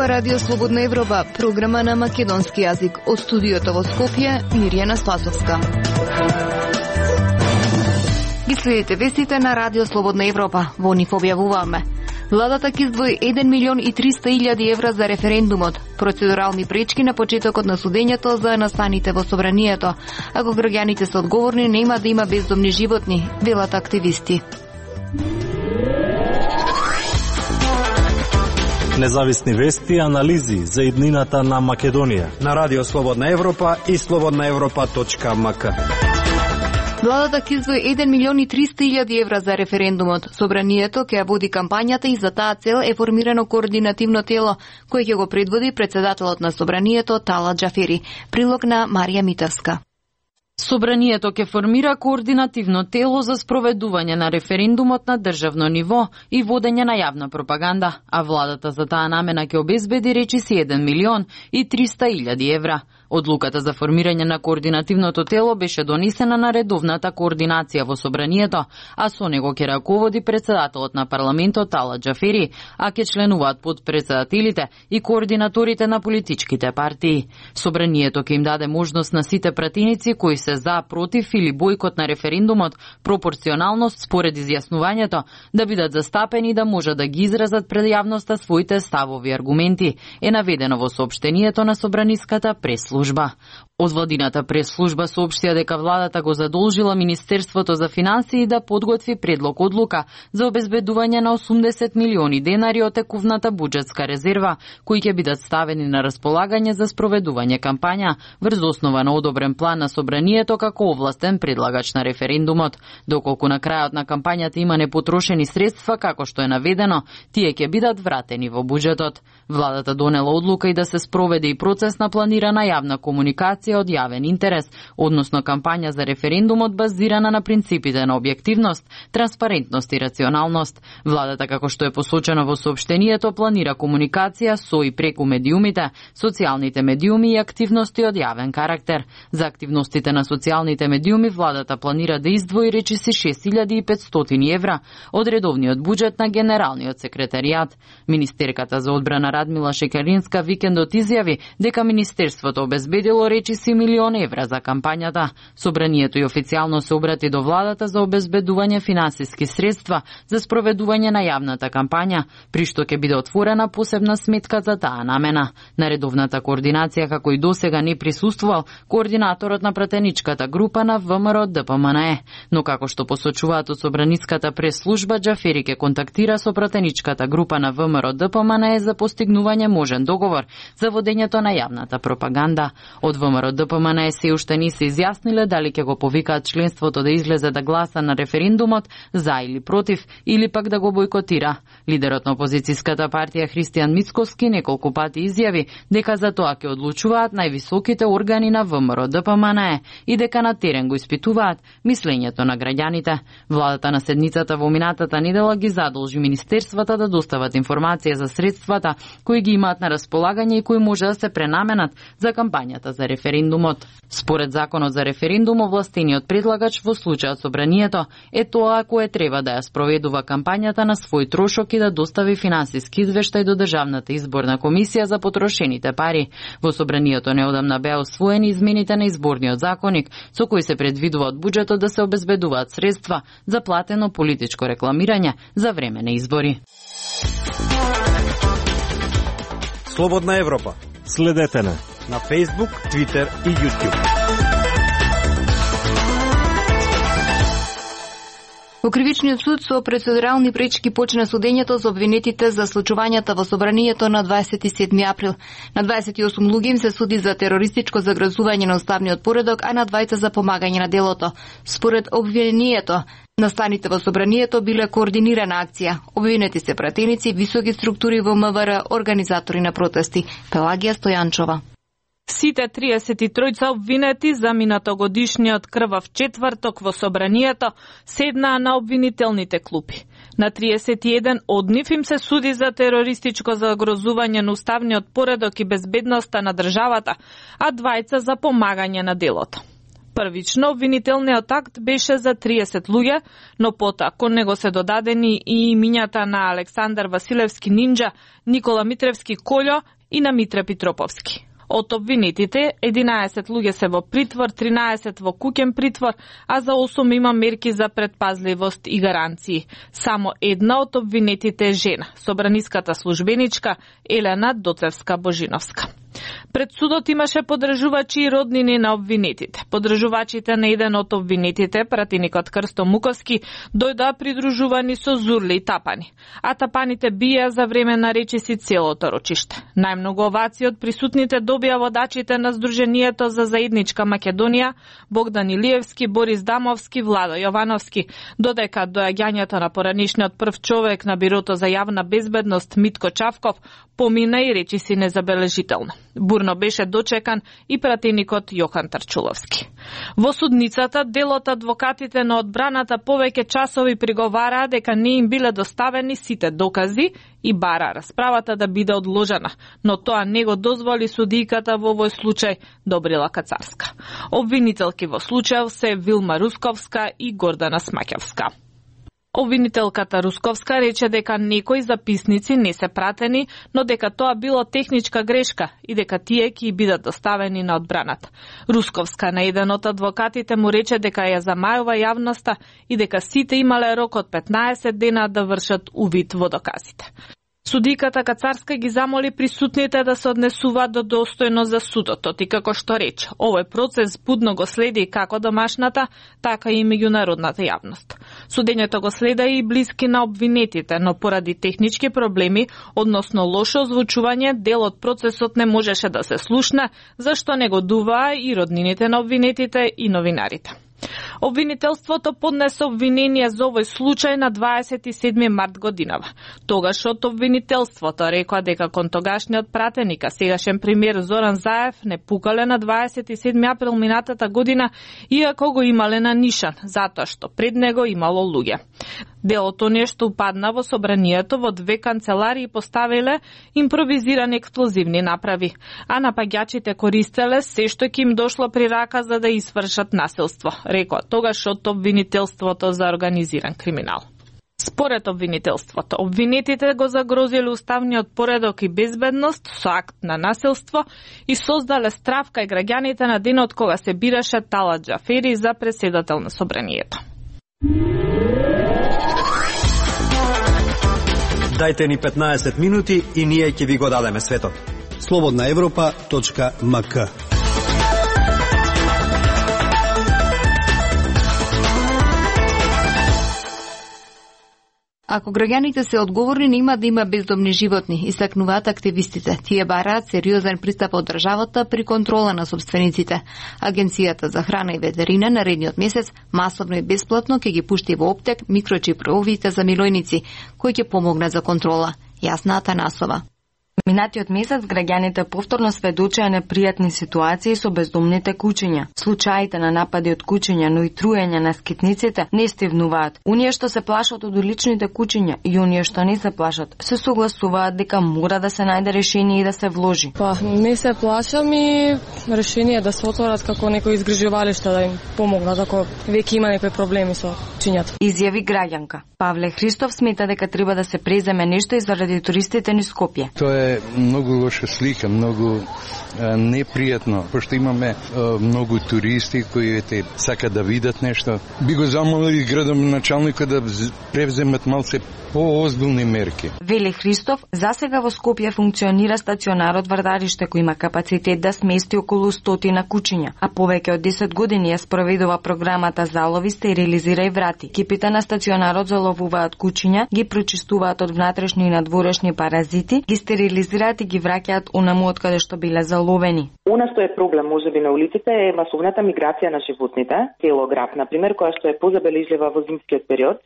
Ова Радио Слободна Европа, програма на македонски јазик. Од студиото во Скопје, Мирјана Спасовска. Ги следите вестите на Радио Слободна Европа. Во нив објавуваме: владата ќе издвои 1.300.000 евра за референдумот, процедурални пречки на почетокот на судењето за настаните во собранието. Ако граѓаните се одговорни, нема да има бездомни животни, велат активисти. Независни вести и анализи за иднината на Македонија на Радио Слободна Европа и slobodnaevropa.mk. Владата ќе издвои 1.300.000 евра за референдумот. Собранието ќе ја води кампањата и за таа цел е формирано координативно тело, кој ќе го предводи председателот на собранието Талат Џафери. Прилог на Марија Митевска. Собранието ќе формира координативно тело за спроведување на референдумот на државно ниво и водење на јавна пропаганда, а владата за таа намена ќе обезбеди речиси 1.300.000 евра. Одлуката за формирање на координативното тело беше донесена на редовната координација во собранието, а со него ќе раководи председателот на парламентот Талат Џафери, а ќе членуваат подпредседателите и координаторите на политичките партии. Собранието ќе им даде можност на сите пратеници кои се за, против или бојкот на референдумот, пропорционалност според изјаснувањето, да бидат застапени и да можат да ги изразат пред јавноста своите ставови и аргументи, е наведено во соопштението на собраниската прес-служба. Од владината прес-служба соопштија дека владата го задолжила Министерството за финансии да подготви предлог одлука за обезбедување на 80 милиони денари од текувната буџетска резерва, кои ќе бидат ставени на располагање за спроведување кампања врз основа на одобрен план на собранието како овластен предлагач на референдумот. Доколку на крајот на кампањата има непотрошени средства, како што е наведено, тие ќе бидат вратени во буџетот. Владата донела одлука и да се спроведе и процес на планирана јавна комуникација од јавен интерес, односно кампања за референдумот базирана на принципите на објективност, транспарентност и рационалност. Владата, како што е посочено во соопштението, планира комуникација со и преку медиумите, социјалните медиуми и активности од јавен карактер. За активностите на социјалните медиуми владата планира да издвои речиси 6.500 евра од редовниот буџет на Генералниот секретаријат. Министерката за одбрана Радмила Шекеринска викендот изјави дека Министерството обезбедило речиси 1 милион евра за кампањата. Собранието и официјално се обрати до владата за обезбедување финансиски средства за спроведување на јавната кампања, при што ќе биде отворена посебна сметка за таа намена. На редовната координација, како и досега, не присуствувал координаторот на пратеничката група на ВМРО ДПМНЕ, но како што посочуваат од собраниската прес-служба, Џафери ќе контактира со пратеничката група на ВМРО ДПМНЕ за постигнување можен договор за водењето на јавната пропаганда. Од ВМРО ДПМНЕ се уште не се изјасниле дали ќе го повикаат членството да излезе да гласа на референдумот за или против, или пак да го бојкотира. Лидерот на опозицијската партија Христијан Мицковски неколку пати изјави дека за тоа ќе одлучуваат највисоките органи на ВМРО ДПМНЕ и дека на терен го испитуваат мислењето на граѓаните. Владата на седницата во минатата недела ги задолжи министерствата да достават информација за средствата кои ги имаат на располагање и кои може да се пренаменат за кампањата за референдумот. Според законот за референдум, овластениот предлагач во случајот собранието е тоа кој треба да ја спроведува кампањата на свој трошок и да достави финансиски извештај до Државната изборна комисија за потрошените пари. Во собранието неодамна беа усвоени измените на изборниот законник, со кои се предвидува од буџетот да се обезбедуваат средства за платено политичко рекламирање за време на избори. Слободна Европа. Следете на Facebook, Twitter и YouTube. Во Кривичниот суд со процедурални пречки почна судењето за обвинетите за случувањата во собранието на 27 април. На 28 луѓе им се суди за терористичко загрозување на уставниот поредок, а на 2 за помагање на делото. Според обвинението, настаните во собранието биле координирана акција. Обвинети се пратеници, високи структури во МВР, организатори на протести. Пелагија Стојанчова. Сите 33 обвинети за минатогодишниот крвав четврток во собранието седнаа на обвинителните клупи. На 31 од нив им се суди за терористичко загрозување на уставниот поредок и безбедноста на државата, а 2 за помагање на делото. Првично, обвинителниот акт беше за 30 луѓе, но потоа кон него се додадени и имињата на Александар Василевски Нинџа, Никола Митревски Колјо и на Митре Питроповски. Од обвинетите, 11 луѓе се во притвор, 13 во куќен притвор, а за 8 има мерки за предпазливост и гаранции. Само една од обвинетите е жена, собраниската службеничка Елена Доцевска Божиновска. Пред судот имаше подржувачи и роднини на обвинетите. Подржувачите на еден од обвинетите, пратеникот Крсто Муковски, дојдоа придружувани со зурли и тапани. А тапаните биеа за време на речиси целото рочиште. Најмногу овации од присутните добија водачите на Сдруженијето за заедничка Македонија, Богдан Илиевски, Борис Дамовски, Владо Јовановски, додека доаѓањето на поранишниот прв човек на Бирото за јавна безбедност Митко Чавков помина и речиси незабележително. Бурно беше дочекан и пратеникот Јохан Тарчуловски. Во судницата, дел од адвокатите на одбраната повеќе часови приговараа дека не им биле доставени сите докази и бара расправата да биде одложена, но тоа не го дозволи судијката во овој случај Добрила Кацарска. Обвинителки во случајот се Вилма Русковска и Гордана Смаќевска. Обвинителката Русковска рече дека некои записници не се пратени, но дека тоа било техничка грешка и дека тие ќе бидат доставени на одбраната. Русковска на еден од адвокатите му рече дека ја замајува јавноста и дека сите имале рок од 15 дена да вршат увид во доказите. Судиката Кацарска ги замоли присутните да се однесуваат достојно за судот, и како што рече, овој процес будно го следи како домашната, така и меѓународната јавност. Судењето го следа и блиски на обвинетите, но поради технички проблеми, односно лошо озвучување, дел од процесот не можеше да се слушне, зашто не го дуваа и роднините на обвинетите и новинарите. Обвинителството поднесе обвинение за овој случај на 27 март годинава. Тогаш од обвинителството рекоа дека кон тогашниот пратеник, а сегашен премиер Зоран Заев не пукале на 27 април минатата година, иако го имале на нишан, затоа што пред него имало луѓе. Делото нешто упадна во собранието во 2 канцеларии поставиле импровизирани експлозивни направи, а напаѓачите користеле се што ќе им дошло при рака за да извршат насилство, рекоа тогаш од обвинителството за организиран криминал. Според обвинителството, обвинетите го загрозиле уставниот поредок и безбедност со акт на насилство и создале страв кај граѓаните на денот кога се бираше Талат Џафери за претседател на собранието. Дајте ни 15 минути и ние ќе ви го дадеме светот. slobodnaevropa.mk. Ако граѓаните се одговорни, нема да има бездомни животни, истакнуваат активистите. Тие бараат сериозен пристап од државата при контрола на собствениците. Агенцијата за храна и ветерина наредниот месец масовно и бесплатно ќе ги пушти во оптек микрочиповите за милојници, кои ќе помогнат за контрола. Јасна Атанасова. Минатиот месец граѓаните повторно сведочеа непријатни ситуации со бездомните кучиња. Случаите на напади од кучиња, но и труење на скитниците не стивнуваат. Оние што се плашат од уличните кучиња и оние што не се плашат, се согласуваат дека мора да се најде решение и да се вложи. Не се плашам и решение да се отворат како некои изгрижувалишта да им помогнат ако веќе има некои проблеми со кучињата. Изјави граѓанка. Павле Христов смета дека треба да се преземе нешто и заради туристите низ Скопје. Тоа е многу лоша слика, многу непријатно, пошто имаме многу туристи кои сакаат да видат нешто. Би го замолили градоначалникот да превземат малце поозбилни мерки. Вели Христов, засега во Скопје функционира стационарот Вардарище кој има капацитет да смести околу 100 кучиња, а повеќе од 10 години ја спроведува програмата Залови, стерилизира и врати. Екипите на стационарот заловуваат кучиња, ги прочистуваат од внатрешни и надворешни паразити, ги стерилизираат и ги враќаат онаму од каде што биле заловени. Она што е проблем можеби на улиците е масовната миграција на животните, телограф, например, која што е позабележлива во зимскиот период,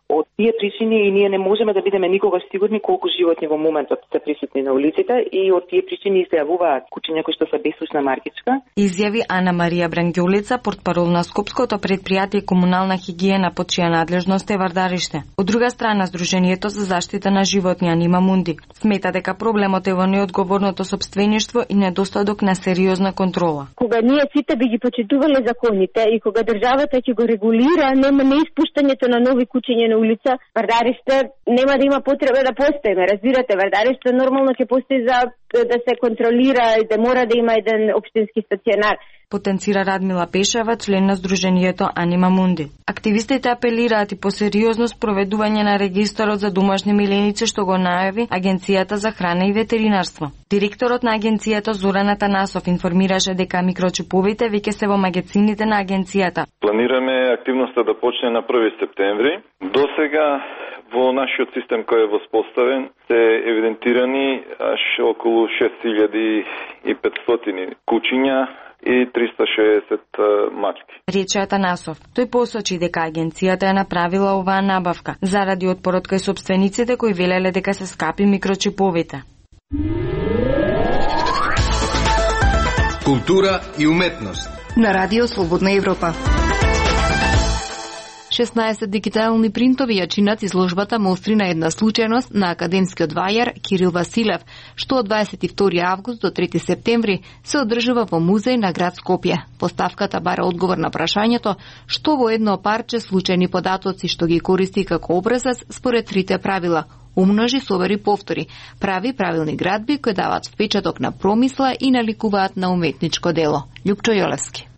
Од тие причини и ние не можеме да бидеме никогаш сигурни колку животни во моментот се присутни на улиците и од тие причини се јавуваат кучиња кои што се бесушна маркичка. Изјави Ана Марија Брангјолица, портпарол на Скопското претпријатие комунална хигиена, под чија надлежност е Вардариште. Од друга страна, Сдруженијето за заштита на животни Анима Мунди смета дека проблемот е во неодговорното сопствеништво и недостаток на сериозна контрола. Кога ние сите би ги почитувале законите и кога државата ќе го регулира, нема неиспуштањето на нови кучиња на улица, Вардариште нема да има потреба да постои. Разбирате, Вардариште нормално ќе постои за да се контролира и да мора да има еден општински стационар. Потенцира Радмила Пешева, член на Сдруженијето Анима Мунди. Активистите апелираат и по сериозно спроведување на регистарот за домашни миленици што го најави Агенцијата за храна и ветеринарство. Директорот на агенцијата Зоран Атанасов информираше дека микрочиповите веќе се во магазините на агенцијата. Планираме активноста да почне на 1 септември. До сега во нашиот систем кој е воспоставен се евидентирани аж околу 6500 кучиња и 360 мачки. Рече Атанасов. Тој посочи дека агенцијата е направила оваа набавка заради отпорот кај сопствениците кои велеле дека се скапи микрочиповите. Култура и уметност. На Радио Слободна Европа. 16 дигитални принтови ја чинат изложбата Мостри на една случајност на академскиот вајар Кирил Василев, што од 22 август до 3 септември се одржува во музеј на град Скопје. Поставката бара одговор на прашањето што во едно парче случајни податоци што ги користи како образец според трите правила: умножи, собери, повтори, прави правилни градби кои даваат впечаток на промисла и наликуваат на уметничко дело. Љупчо Јолевски.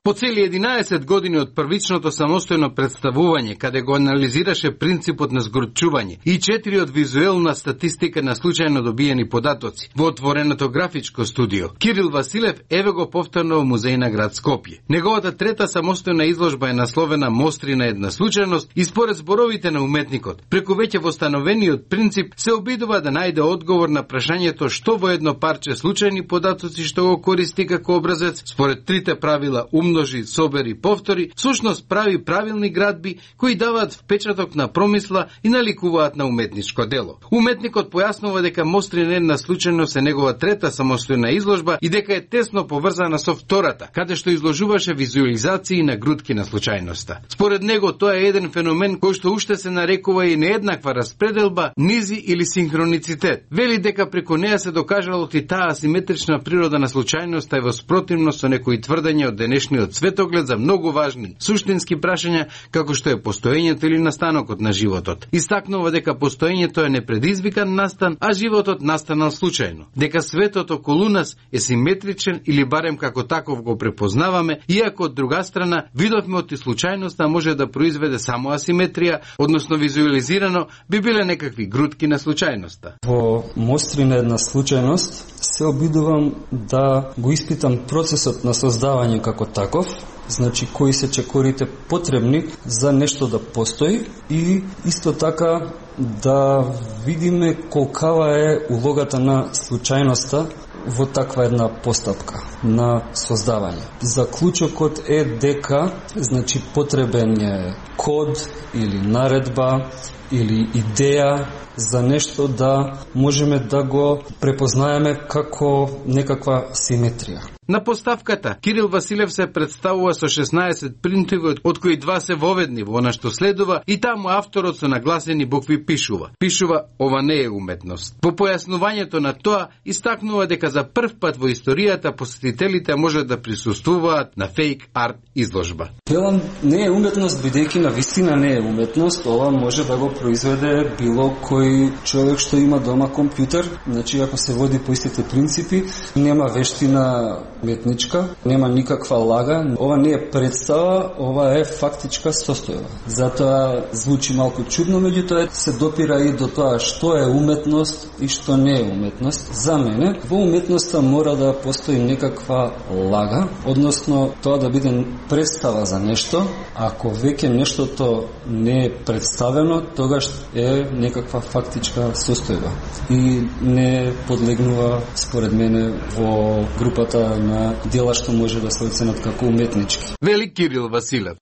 По цели 11 години од првичното самостојно представување, каде го анализираше принципот на згорчување и 4 од визуелна статистика на случајно добиени податоци во отвореното графичко студио, Кирил Василев еве го повторно во музеј на град Скопје. Неговата трета самостојна изложба е насловена Мостри на една случајност и според зборовите на уметникот, преку веќе востановениот принцип се обидува да најде одговор на прашањето што во едно парче случајни податоци што го користи како образец според трите правила умножи, собери, повтори, всушност прави правилни градби кои даваат впечаток на промисла и наликуваат на уметничко дело. Уметникот појаснува дека Мостри на една случајност е негова трета самостојна изложба и дека е тесно поврзана со втората, каде што изложуваше визуализации на грудки на случајноста. Според него тоа е еден феномен кој што уште се нарекува и нееднаква распределба, низи или синхроницитет. Вели дека преку неа се докажало и таа асиметрична природа на случајноста е во спротивност со некои тврдења од денешниот светоглед за многу важни суштински прашања како што е постоењето или настанокот на животот. Истакнува дека постоењето е непредизвикан настан, а животот настанал случајно. Дека светот околу нас е симетричен или барем како таков го препознаваме, иако од друга страна видовме од случајноста може да произведе само асиметрија, односно визуализирано би биле некакви грудки на случајноста. Во Мостри на една случајност се обидувам да го испитам процесот на создавање како таков, значи кои се чекорите потребни за нешто да постои и исто така да видиме колкава е улогата на случајноста во таква една постапка на создавање. Заклучокот е дека значи потребен е код или наредба или идеја за нешто да можеме да го препознаеме како некаква симетрија. На поставката Кирил Василев се представува со 16 принтови, од кои 2 се воведни во она што следува и таму авторот со нагласени букви пишува. Пишува ова не е уметност. По појаснувањето на тоа истакнува дека за прв пат во историјата посетителите може да присуствуваат на фейк арт изложба. Велам не е уметност бидејќи на вистина не е уметност, ова може да го произведе било кој човек што има дома компјутер, значи ако се води по истите принципи, нема вештина уметничка, нема никаква лага. Ова не е представа, ова е фактичка состојба. Затоа звучи малку чудно, меѓутоа се допира и до тоа што е уметност и што не е уметност. За мене, во уметноста мора да постои некаква лага, односно тоа да биде представа за нешто. Ако веќе нештото не е представено, тогаш е некаква фактичка состојба и не подлегнува, според мене, во групата на дела што може да се оценат како уметнички. Вели Кирил Василев.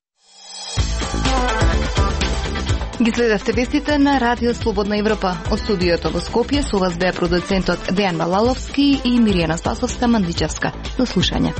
Ги следевте вестите на Радио Слободна Европа. Од студиото во Скопје со вас беа продуцентот Дејан Малаловски и Миријана Спасовска-Мандичевска. До слушање.